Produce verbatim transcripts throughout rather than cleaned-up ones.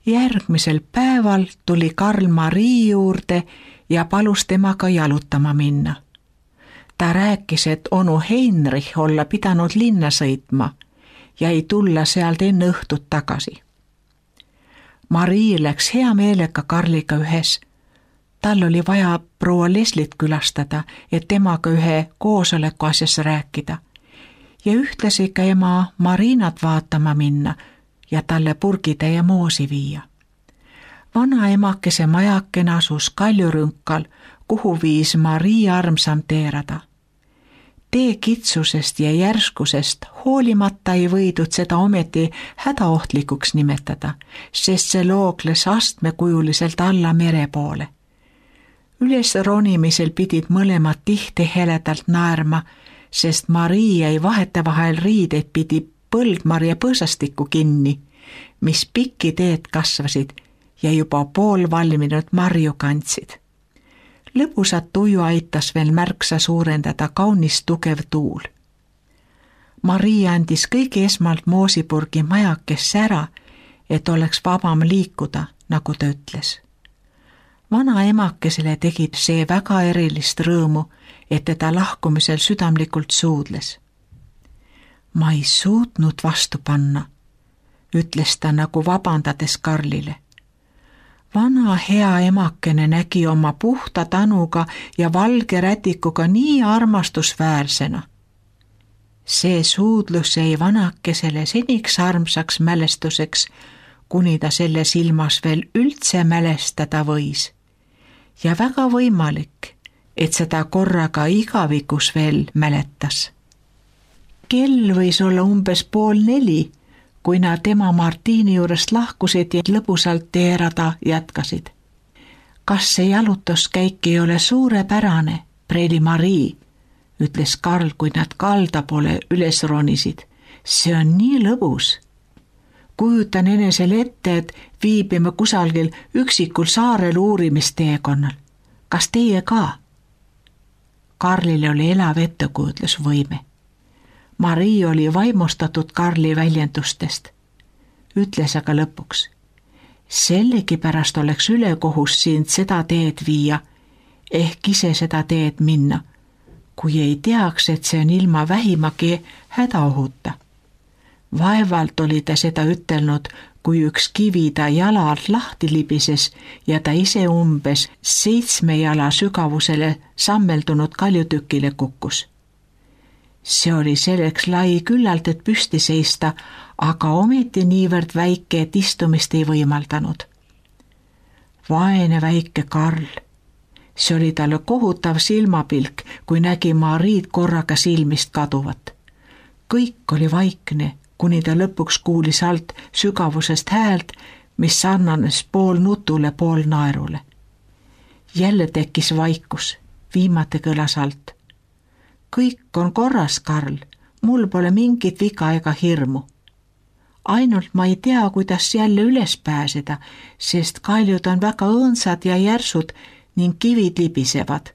Järgmisel päeval tuli Karl Marii juurde ja palus temaga jalutama minna. Ta rääkis, et onu Heinrich olla pidanud linna sõitma ja ei tulla sealt enne õhtut tagasi. Marii läks hea meelega Karliga ühes. Tal oli vaja proua Leslit külastada, et temaga ühe koosoleku asjas rääkida ja ühtlasi ka ema Marinat vaatama minna ja talle purgitäie moosi viia. Vana emakese majakene asus kaljurünkal, kuhu viis Marii armsam teerada. Tee kitsusest ja järskusest hoolimata ei võidud seda ometi hädaohtlikuks nimetada, sest see loogles astmekujuliselt alla mere poole. Üles ronimisel pidid mõlemad tihti heledalt naerma, sest Marii jäi vahetevahel riideid pidi põldmarja põõsastikku kinni, mis pikki teed kasvasid ja juba pool valminud marju kandsid. Lõbusat tuju aitas veel märksa suurendada kaunis tugev tuul. Marii andis kõige esmalt moosipurgi majakesse ära, et oleks vabam liikuda, nagu ta ütles. Vana emakesele tegi see väga erilist rõõmu, et teda lahkumisel südamlikult suudles. Ma ei suutnud vastu panna, ütles ta nagu vabandades Karlile. Vana hea emakene nägi oma puhta tanuga ja valge rätikuga nii armastusväärsena. See suudlus jäi vanakesele seniks armsaks mälestuseks, kuni ta selle silmas veel üldse mälestada võis. Ja väga võimalik, et seda korraga igavikus veel mäletas. Kell võis olla umbes pool neli, kui nad tema Martiini juurest lahkusid ja lõbusalt teerada jätkasid. Kas see jalutuskäik ei ole suurepärane, preili Marii, ütles Karl, kui nad kalda poole üles ronisid. See on nii lõbus. Kujutan enesele ette, et viibime kusagil üksikul saarel uurimisteekonnal. Kas teie ka? Karlil oli elav ettekujutlusvõime. Marii oli vaimustatud Karli väljendustest. Ütles aga lõpuks. Sellegipärast oleks ülekohus sind seda teed viia, ehk ise seda teed minna, kui ei teaks, et see on ilma vähimagi hädaohuta. Vaevalt oli ta seda ütelnud, kui üks kivi ta jala alt lahti libises ja ta ise umbes seitsme jala sügavusele sammeldunud kaljutükile kukkus. See oli selleks lai küllalt, et püsti seista, aga ometi niivõrd väike, et istumist ei võimaldanud. Vaene väike Karl. See oli talle kohutav silmapilk, kui nägi Mariid korraga silmist kaduvat. Kõik oli vaikne, kuni ta lõpuks kuulis alt sügavusest häält, mis sarnanes pool nutule, pool naerule. Jälle tekkis vaikus, viimati kõlas alt. Kõik on korras, Karl, mul pole mingit viga ega hirmu. Ainult ma ei tea, kuidas jälle üles pääseda, sest kaljud on väga õõnsad ja järsud ning kivid libisevad.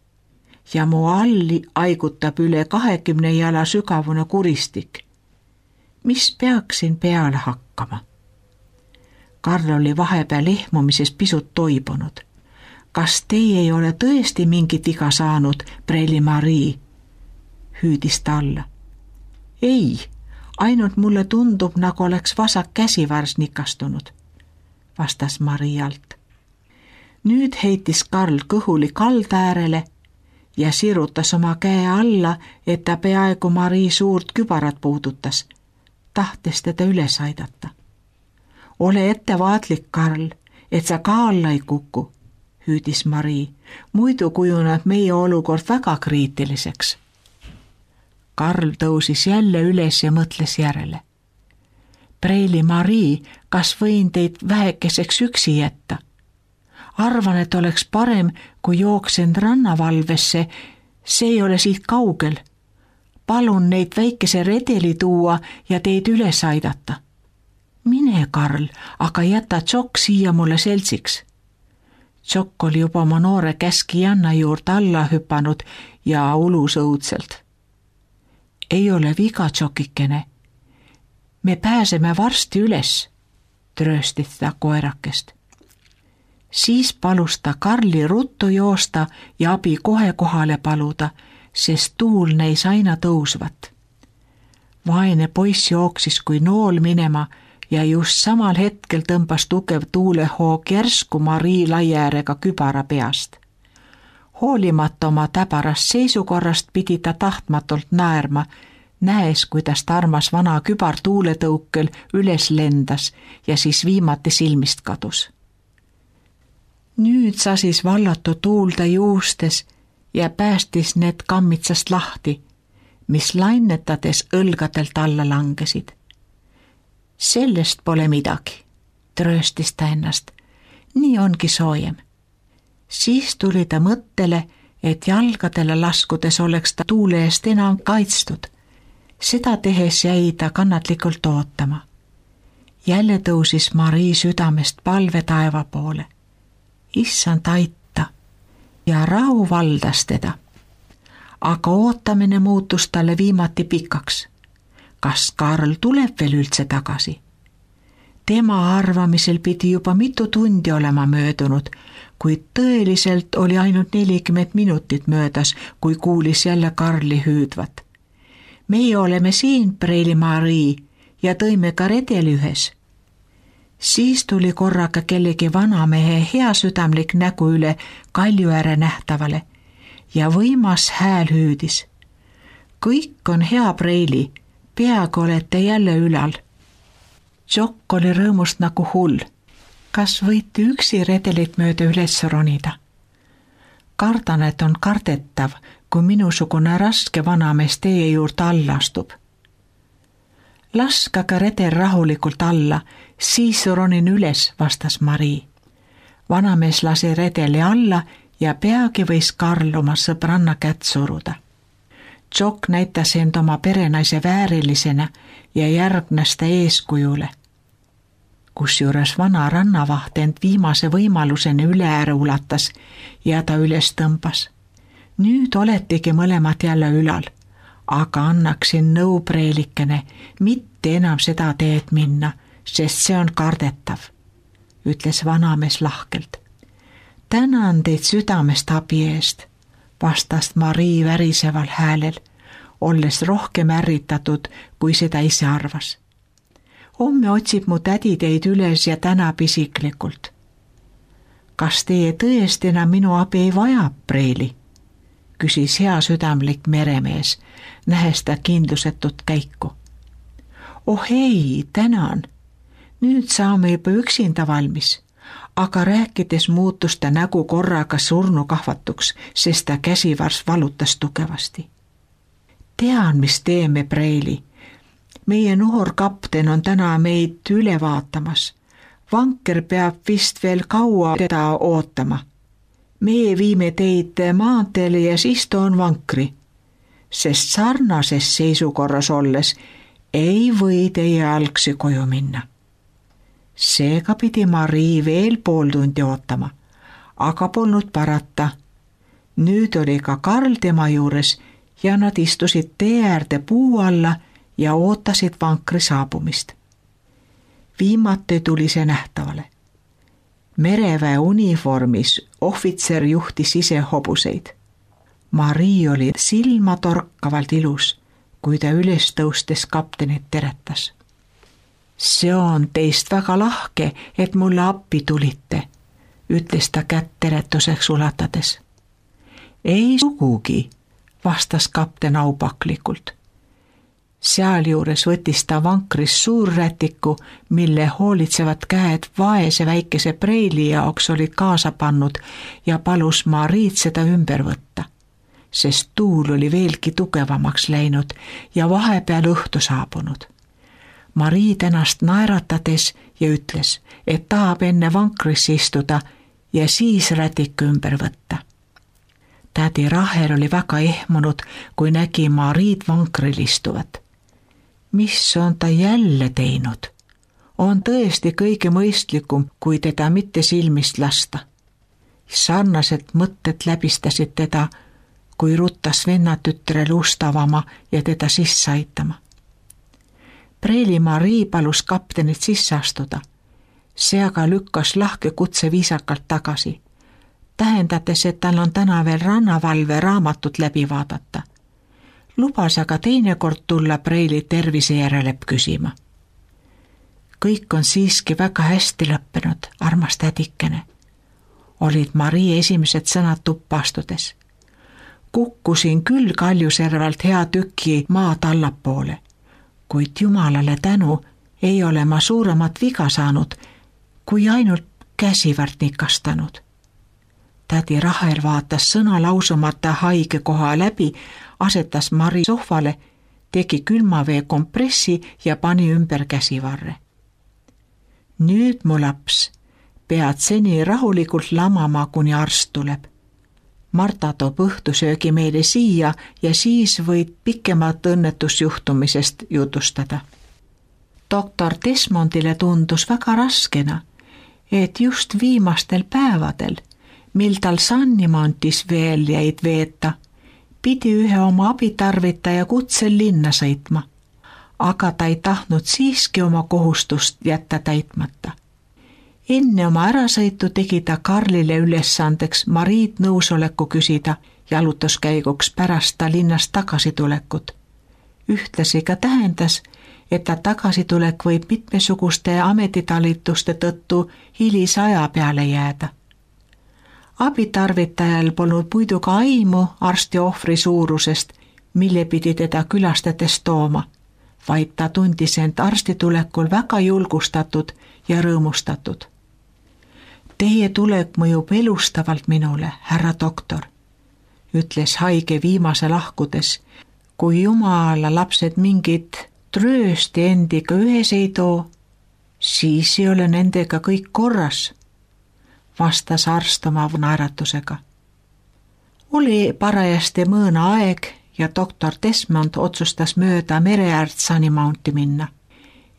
Ja mu alli aigutab üle kahekümne jala sügavune kuristik. Mis peaksin peale hakkama? Karl oli vahepeal ehmumises pisut toibunud. Kas teie ei ole tõesti mingit viga saanud, preili Marii? Hüüdis ta alla. Ei, ainult mulle tundub, nagu oleks vasak käsivars nikastunud, vastas Marii alt. Nüüd heitis Karl kõhuli kaldaäärele ja sirutas oma käe alla, et ta peaaegu Marii suurt kübarat puudutas, tahtes teda üles aidata. Ole ettevaatlik, Karl, et sa ka alla ei kuku, hüüdis Marii, muidu kujuneb meie olukord väga kriitiliseks. Karl tõusis jälle üles ja mõtles järele. Preili Marii, kas võin teid vähekeseks üksi jätta? Arvan, et oleks parem, kui jooksen rannavalvesse, see ei ole siit kaugel. Palun neid väikese redeli tuua ja teid üles aidata. Mine, Karl, aga jäta Tšokk siia mulle seltsiks. Tšokk oli juba oma noore käskijanna juurde alla hüpanud ja ulus õudselt. Ei ole viga, Tšokikene. Me pääseme varsti üles, trööstis ta koerakest. Siis palus ta Karli ruttu joosta ja abi kohe kohale paluda, sest tuul neis aina tõusvat. Vaene poiss jooksis kui nool minema ja just samal hetkel tõmbas tugev tuulehoog järsku Marii laiäärega kübara peast. Hoolimata oma täbarast seisukorrast pidi ta tahtmatult naerma, näes, kuidas ta armas vana kübar tuuletõukel üles lendas ja siis viimati silmist kadus. Nüüd sasis vallatu tuulda juustes ja päästis need kammitsast lahti, mis lainetades õlgadelt alla langesid. Sellest pole midagi, trööstis ta ennast. Nii ongi soojem. Siis tuli ta mõttele, et jalgadele laskudes oleks ta tuule eest enam kaitstud. Seda tehes jäi ta kannatlikult ootama. Jälle tõusis Marii südamest palve taeva poole. Issand aita ja rahu valdas teda. Aga ootamine muutus talle viimati pikaks. Kas Karl tuleb veel üldse tagasi? Tema arvamisel pidi juba mitu tundi olema möödunud, kuid tõeliselt oli ainult nelikümmend minutit möödas, kui kuulis jälle Karli hüüdvat. Meie oleme siin, Preili Marii, ja tõime ka redeli ühes. Siis tuli korraga kellegi vanamehe heasüdamlik nägu üle kalju ääre nähtavale ja võimas hääl hüüdis. Kõik on hea, Preili, peaaegu olete jälle ülal. Jock oli rõõmust nagu hull. Kas võite üksi redelit mööda üles ronida? Kardan, et on kardetav, kui minusugune raske vanamees teie juurde alla astub. Laskage redel rahulikult alla, siis ronin üles, vastas Marii. Vanamees lasi redeli alla ja peagi võis Karl oma sõbranna kätt suruda. Jock näitas end oma perenaise väärilisena ja järgnes ta eeskujule. Kusjuures vana rannavaht end viimase võimaluseni üle ääre ulatas ja ta üles tõmbas. Nüüd oletegi mõlemad jälle ülal, aga annaksin nõu, Preelikene, mitte enam seda teed minna, sest see on kardetav, ütles vanamees lahkelt. Tänan teid südamest abi eest, vastas Marii väriseval häälel, olles rohkem ärritatud, kui seda ise arvas. Homme otsib mu tädi teid üles ja tänab isiklikult. Kas teie tõesti enam minu abi ei vaja, Preili? Küsis heasüdamlik meremees, nähes ta kindlusetut käiku. Oh ei, tänan. Nüüd saame juba üksinda valmis, aga rääkides muutus ta nägu korraga surnukahvatuks, sest ta käsivars valutas tugevasti. Tean, mis teeme, Preili. Meie noor kapten on täna meid üle vaatamas. Vanker peab vist veel kaua teda ootama. Meie viime teid maanteele ja siis toon vankri, sest sarnases seisukorras olles ei või teie algsi koju minna. Seega pidi Marii veel pool tundi ootama, aga polnud parata. Nüüd oli ka Karl tema juures ja nad istusid tee äärde puu alla ja ootasid vankri saabumist. Viimati tuli see nähtavale. Mereväe uniformis ohvitser juhtis ise hobuseid. Marii oli silmatorkavalt ilus, kui ta üles tõustes kaptenit teretas. See on teist väga lahke, et mulle appi tulite, ütles ta kätt teretuseks ulatades. Ei sugugi, vastas kapten aupaklikult. Sealjuures võttis ta vankris suurrätiku, mille hoolitsevad käed vaese väikese Preili jaoks olid kaasa pannud ja palus Mariid seda ümber võtta, sest tuul oli veelgi tugevamaks läinud ja vahepeal õhtu saabunud. Marii tänast naeratades ja ütles, et tahab enne vankrisse istuda ja siis rätiku ümber võtta. Tädi Rahel oli väga ehmunud, kui nägi Mariid vankril istuvat. Mis on ta jälle teinud? On tõesti kõige mõistlikum, kui teda mitte silmist lasta. Sarnased mõtted läbistasid teda, kui ruttas vennatütre lust avama ja teda sisse aitama. Preili Marii palus kaptenit sisse astuda See aga lükkas lahke kutse viisakalt tagasi, tähendades, et tal on täna veel rannavalve raamatut läbi vaadata. Lubas aga teinekord tulla Preili tervise järele küsima. Kõik on siiski väga hästi lõppenud, armas tädikene, olid Marii esimesed sõnad tuppa astudes. Kukkusin küll Kaljuservalt hea tüki maad allapoole, kuid jumalale tänu ei ole ma suuremat viga saanud, kui ainult käsivart nikastanud. Tädi Rahel vaatas sõna lausumata haige koha läbi, asetas Mari sohvale, tegi külmavee kompressi ja pani ümber käsivarre. Nüüd mu laps, pead seni rahulikult lamama, kuni arst tuleb. Marta toob õhtusöögi meile siia ja siis võid pikemat õnnetusjuhtumisest jutustada. Doktor Desmondile tundus väga raskena, et just viimastel päevadel, mil tal Sannimontis veel jäid veeta, pidi ühe oma abitarvitaja kutsel linna sõitma, aga ta ei tahtnud siiski oma kohustust jätta täitmata. Enne oma ärasõitu tegi ta Karlile ülesandeks Mariid nõusoleku küsida jalutuskäiguks pärast ta linnast tagasitulekut. Ühtlasi ka tähendas, et ta tagasitulek võib mitmesuguste ametitalituste tõttu hilise aja peale jääda. Abitarvitajal polnud muidu ka aimu arsti ohvri suurusest, mille pidi teda külastades tooma, vaid ta tundis end arsti tulekul väga julgustatud ja rõõmustatud. Teie tulek mõjub elustavalt minule, härra doktor, ütles haige viimase lahkudes, kui jumala lapsed mingid tröösti endiga ühes ei too, siis ei ole nendega kõik korras, vastas arst oma naeratusega. Oli parajasti mõõna aeg ja doktor Desmond otsustas mööda mereäärt Sunnymounti minna,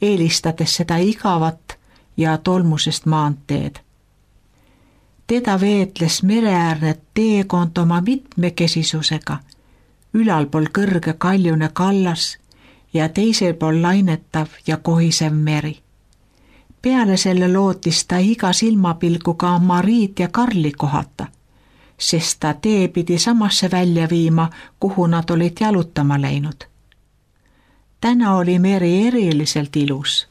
eelistades seda igavat ja tolmusest maanteed. Teda veetles mereäärne teekond oma mitmekesisusega, ülalpool kõrge kaljune kallas ja teisel pool lainetav ja kohisev meri. Peale selle lootis ta iga silmapilguga Mariid ja Karli kohata, sest ta tee pidi samasse välja viima, kuhu nad olid jalutama läinud. Täna oli meri eriliselt ilus.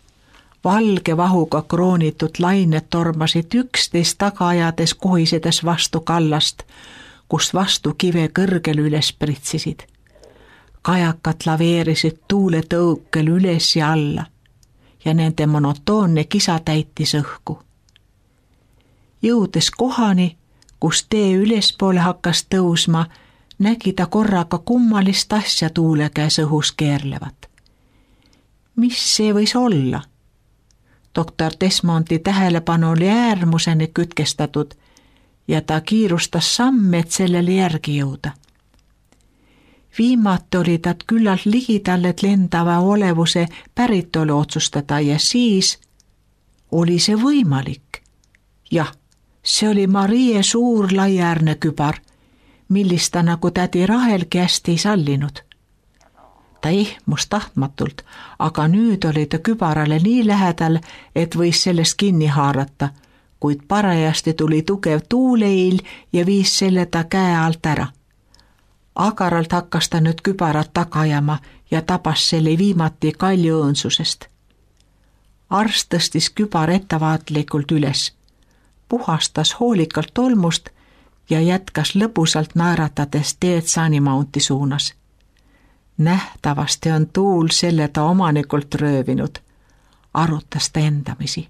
Valge vahuga kroonitud lained tormasid üksteist taga ajades kohisedes vastu kallast, kust vastu kive kõrgel üles pritsisid. Kajakad laveerisid tuule tõukel üles ja alla ja nende monotoonne kisa täitis õhku. Jõudes kohani, kus tee ülespoole hakkas tõusma, nägi ta korraga kummalist asja tuule käes õhus keerlevat. Mis see võis olla? Doktor Desmondi tähelepanu oli äärmuseni kütkestatud ja ta kiirustas samme, et sellele järgi jõuda. Viimati oli tad küllalt ligidal, et lendava olevuse päritolu otsustada ja siis oli see võimalik. Jah, see oli Marie suur laiäärne kübar, millist ta nagu tädi Rahelgi hästi ei sallinud. Ta ihmus tahtmatult, aga nüüd oli ta kübarale nii lähedal, et võis sellest kinni haarata, kuid parajasti tuli tugev tuuleil ja viis selle ta käe alt ära. Agaralt hakkas ta nüüd kübarat tagajama ja tabas selle viimati kalju õõnsusest. Arst tõstis kübar ettevaatlikult üles, puhastas hoolikalt tolmust ja jätkas lõbusalt naeratades teed Sunnymounti suunas. Nähtavasti on tuul selle ta omanikult röövinud, arutas ta endamisi.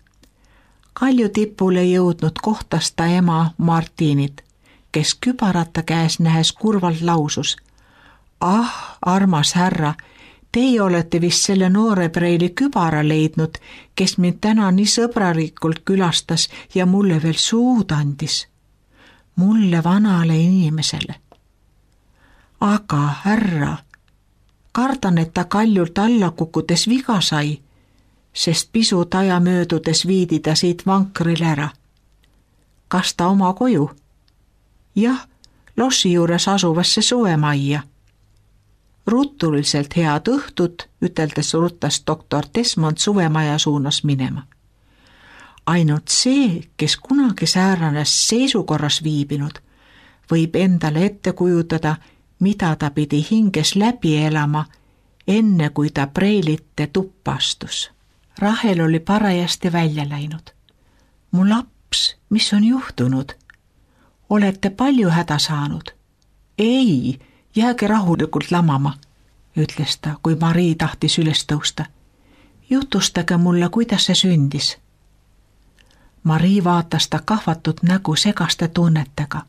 Kalju tipule jõudnud kohtas ta ema Martinit, kes kübarata käes nähes kurvalt lausus. Ah, armas härra, teie olete vist selle noore Preili kübara leidnud, kes mind täna nii sõbralikult külastas ja mulle veel suud andis. Mulle vanale inimesele. Aga härra, kardan, et ta kaljult alla kukkudes viga sai, sest pisut aja möödudes viidi ta siit vankril ära. Kas ta oma koju? Jah, lossi juures asuvasse suvemajja. Ruttuliselt head õhtut, üteldes ruttas doktor Desmond suvemaja suunas minema. Ainult see, kes kunagi sääranes seisukorras viibinud, võib endale ette kujutada, mida ta pidi hinges läbi elama, enne kui ta preilite tuppa astus. Rahel oli parajasti välja läinud. Mu laps, mis on juhtunud? Olete palju häda saanud? Ei, jääge rahulikult lamama, ütles ta, kui Marii tahtis üles tõusta. Jutustage mulle, kuidas see sündis. Marii vaatas ta kahvatud nägu segaste tunnetega.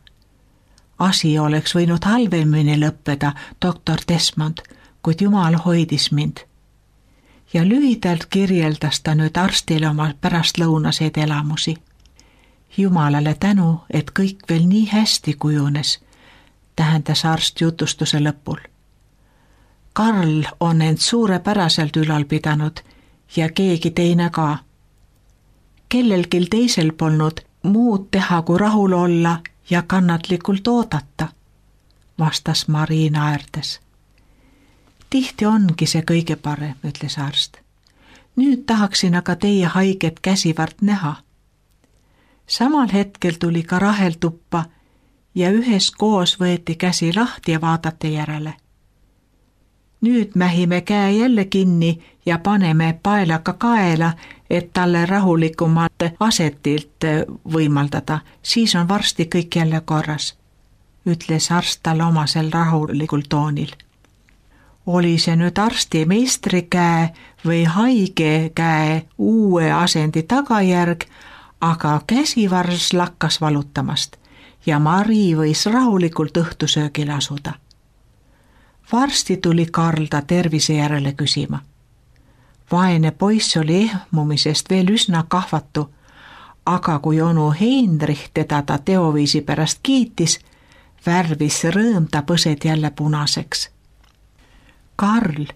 Asi oleks võinud halvemini lõppeda, doktor Desmond, kuid Jumal hoidis mind. Ja lühidalt kirjeldas ta nüüd arstile oma pärastlõunaseid elamusi. Jumalale tänu, et kõik veel nii hästi kujunes, tähendas arst jutustuse lõpul. Karl on end suurepäraselt ülal pidanud ja keegi teine ka. Kellelgi teisel polnud muud teha, kui rahul olla ja kannatlikult oodata, vastas Marii naerdes. Tihti ongi see kõige parem, ütles arst. Nüüd tahaksin aga teie haiget käsivart näha. Samal hetkel tuli ka Rahel tuppa ja üheskoos võeti käsi lahti ja vaadati järele. Nüüd mähime käe jälle kinni ja paneme paelaga kaela, et talle rahulikumat asetilt võimaldada, siis on varsti kõik jälle korras, ütles arst talle omasel rahulikul toonil. Oli see nüüd arsti meistri käe või haige käe uue asendi tagajärg, aga käsivars lakkas valutamast ja Marii võis rahulikult õhtusöögile asuda. Varsti tuli Karl ta tervise järele küsima. Vaene poiss oli ehmumisest veel üsna kahvatu, aga kui onu Heinrich teda ta teoviisi pärast kiitis, värvis rõõm ta põsed jälle punaseks. Karl,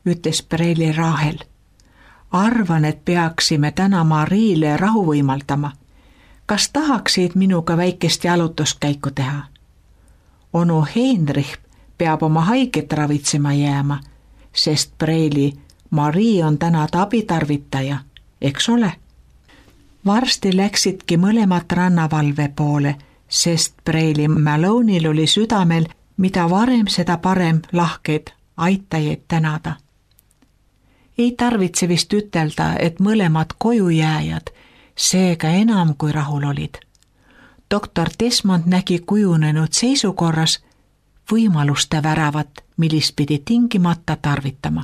ütles preili Rahel, arvan, et peaksime täna Mariile rahu võimaldama. Kas tahaksid minuga väikest jalutuskäiku teha? Onu Heinrich peab oma haiget ravitsema jääma, sest preili Marii on täna ta abitarvitaja, eks ole? Varsti läksidki mõlemat rannavalve poole, sest preili Malone'il oli südamel, mida varem seda parem lahkeid aitajaid tänada. Ei tarvitse vist ütelda, et mõlemad koju jääjad, seega enam kui rahul olid. Doktor Desmond nägi kujunenud seisukorras võimaluste väravat, millist pidi tingimata tarvitama.